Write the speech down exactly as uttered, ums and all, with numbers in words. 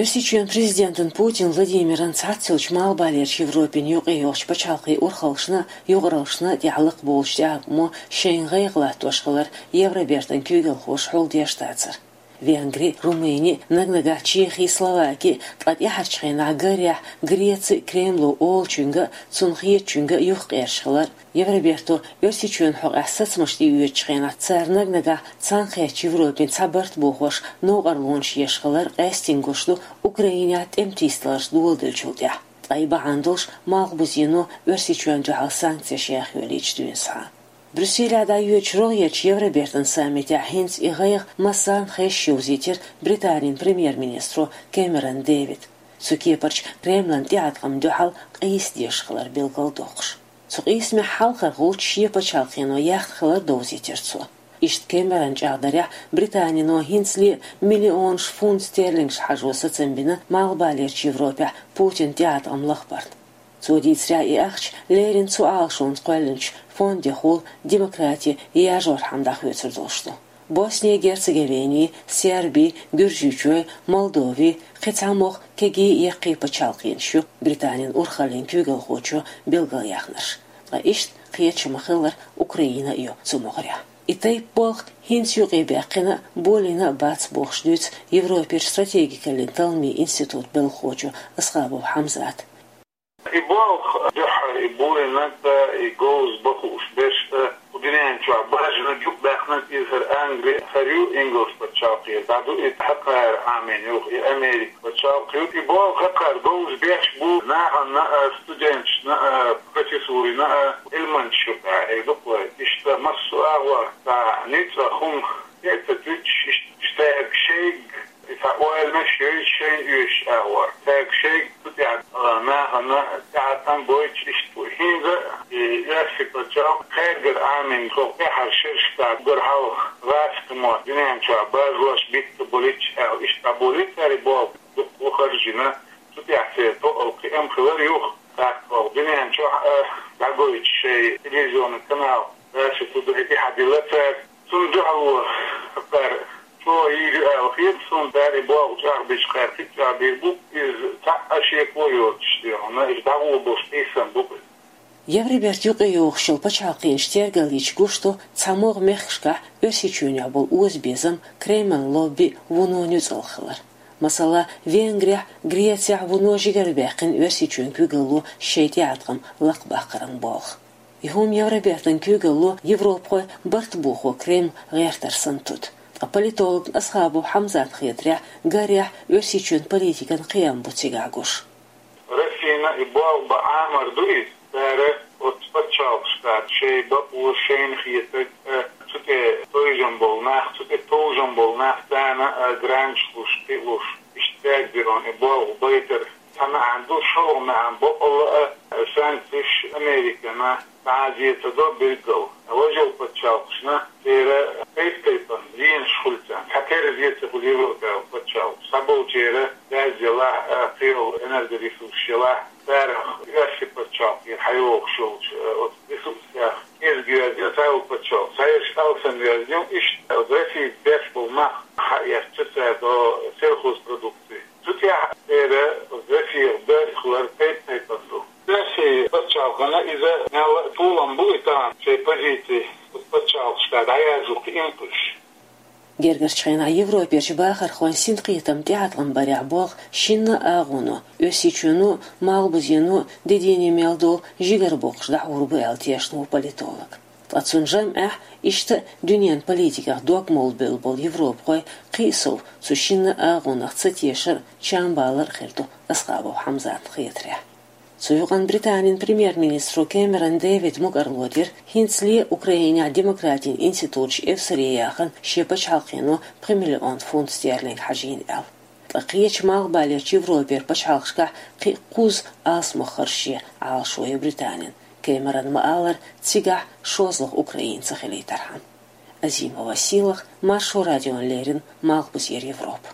Оьрсийчоьнан президентан Путин Владимиран цхьаццайолчу Малхбалерчу Европин юкъе йолчу пачхьалкхийн урхаллашна а, юкъараллашна а тӀехь лакхаболучу тӀеӀаткъамо шайна гӀайгӀа латтош хилар Евробертан куьйгалхоша хьулдеш дацара. Венгри, Румыни, наг-нагахь Чехи, Словаки, ткъа тӀаьхьарчу хенахь Гарехь, Греци Кремло олучуьнга а, цунна хетачуьнга а юхакъерзаш хилар, Евроберто Оьрсийчоьнан хьокъехь сацамаш тӀеоьцучу хенахь цара наг-нагахь цхьаьнакхеттачу Европин цхьа барт бохош новкъарлонаш еш хилар къаьстина гуш ду Украинехь тӀеман тийсадаларш доладеллачул тӀаьхьа. Ткъа и бахьана долуш Малхбузено Оьрсийчоьнна дуьхьал санкцеш яха йолийча дуьйна схьа. Брюсселехь дӀайоьдучу рогӀерчу Евробертан саммитехь хӀинца и гӀайгӀа массарна хезаш йовзийтира Британин премьер-министро Кэмерон Дэвида. Цу кепарчу Кремлан тӀеӀаткъамна дуьхьал къийса дезаш хилар билгалдоккхуш. Цу къийсамехь хьалхархочу шен пачхьалкхено яхна хилар довзийтира цо. Иштта Кэмерон чӀагӀдарехь, Британино хӀинцале миллионаш фунт стерлингаш хьажо сацам бина Малхбалерчу Европехь Путинан тӀеӀаткъам лахбарна. Цо дийцарехь, и ахча леррина цу Ӏалашонца кхоьллинчу фондехула демократи яржорхьама дӀахоьцур долуш ду. Босни-Герцеговини, Серби, Гуьржийчоь, Молдови, кхин цхьа могӀа кегий а яккхий а пачхьалкхенаш ю, Британин урхаллин куьйгалхочо билгалъяьхнарш. Ткъа иштта кхеташ ма-хиллара Украина а ю цу могӀарехь. И тайпа болх хӀинца юкъебаьккхина а, болийна а бац бохуш дуьйцу Европерчу стратегикаллин талламийн институтан белхахочо Асхабов Хьамзата. И болх дуьххьара, и болийнарг а, и говза бан хууш берш а, кху дуьнен чохь бажаниг юкъабаьхнарг иза хӀара Англи, хӀара ю ингалс пачхьалкхера, дӀаду и хӀокхара Ӏамийна юха и Америка пачхьалкх ю. И болх хӀокхара говза беш бу нахана а, студенташна а, профессорина а, Ӏилманчашна юкъахь а ду-кх вай. Иштта массо а агӀор цхьа ницкъ а, хӀума хета дуьтуш, иштта стаг шайга и цхьа ойланаш йойчу шайна оьшуш агӀор. Цаьрга шайга цу тӀехь, а, нахана тӀеӀаткъам бойтуш иштта бу. ХӀинца а и Оьрсийчоьнан пачхьалкх кхаьргара Ӏамийна тхо тӀаьхьара шераш тӀехь уггар хьалха гӀазкхи мотт дуьнен чохь бажош битта болуьйтуш аьлла, иштта дӀаболийра цара и болх дуккха а харжина, цу тӀехь церан тоъал кхиам хилар юха. ТӀаккха оха дуьнен чохь а дӀагойтуш шайн телевизионный канал Раша Тудей тӀехь дилла цара. Цунна дуьхьало кхара чӀогӀа йийр ю аьлла хета суна, цара и болх чӀагӀбича кхара кхин а чӀагӀбийр бу, иза цхьа а шеко йоцуш дехьа, хӀунда аьлча дӀагӀо болуш къийсам бу-кх иза. Евроберта юкъайогӀуш йолу пачхьалкхенаш тергаллича гуш ду, цхьа могӀа мехкашкахь Оьрсийчоьнехь болу озабезам, Кремлан лобби вуно нуьцкъала хилар. Масала, Венгрехь, Грецехь вуно жигарабаьккхина Оьрсийчоьнан куьйгалло шайн тӀеӀаткъам лакхабаккхаран болх. И хӀума Евробертан куьйгалло европахой барт бохо Кремль гӀертар санна туду. Ткъа политологна Асхабов Хьамзатна хетарехь, Гарехь Оьрсийчоьнан политикан кхиам бу цигахь гуш. Россина и болх бан Ӏамор ду иза, цара оцу пачхьалкхашкахь шайн бакъо, шайна хетарг а, цу тӀе тойжам болу нах, цу тӀе товжам болу нах царна а гранташ луш, кхин а луш, иштта цаьрга бен и болх байтар. Цхьа маьӀна ду, шолгӀа маьӀна бакъалла а, санкцеш Американа дӀа а зе ца до билггал. Важа йолу пачхьалкхашна церан тайп-тайпана зенаш хуьлу царна. Цхьатерра зе ца хуьлу Европехь йолу пачхьалкхаш. Цхьаболчеран газ елахь а, кхин йолу энергоресурсаш елахь, царах Оьрсийчоьнан пачхьалкхера хьайогӀуш йолчу, э, оцу ресурсех кӀезиг йоьзна ю цхьайолу пачхьалкх, цхьаерш алсам йоьзна ю, иштта оцу Россица беш болу мах хьаэцча цара до сельхозпродукция. Цу тӀехь церан Россица беш хилар тайп-тайпана ду. Россин пачхьалкхана иза мелла а толам бу и тахана шайн позици оцу пачхьалкхашкахь дӀаяржо кхиам хуьлуш. Гергарчу хенахь Европерчу бахархойн синкхетам тӀеӀаткъам барехь болх шинна а агӀоно, Оьрсийчоьно а, Малхбузено а де дийне мел долу жигара боккхуш дӀахьур бу аьлла тешна ву политолог. Ткъа цунна жамӀехь, иштта а дуьненан политиках дог молабевлла болу европахой кхин а сов цу шинна а агӀонах ца тешар а, чам балар а хир ду Асхабов Хьамзатна хетарехь. Цу юкъана Британин премьер-министро Кэмерон Дэвида мукӀарло дира, хӀинцале Украинехь демократин институташ эвсаре яхана шен пачхьалкхено пхи миллион фунт стерлинг хьажийна аьлла. Ткъа кхечу Малхбалерчу Европера пачхьалкхашкахь кхин а кхузза алсамох харжа шен Ӏалашо ю Британин, Кэмерона ма-аллара, цигахь шозлагӀа Украина ца хилийтархьама. Азимова Сийлаха, Маршо радиона леррина, Малхбузера Европа.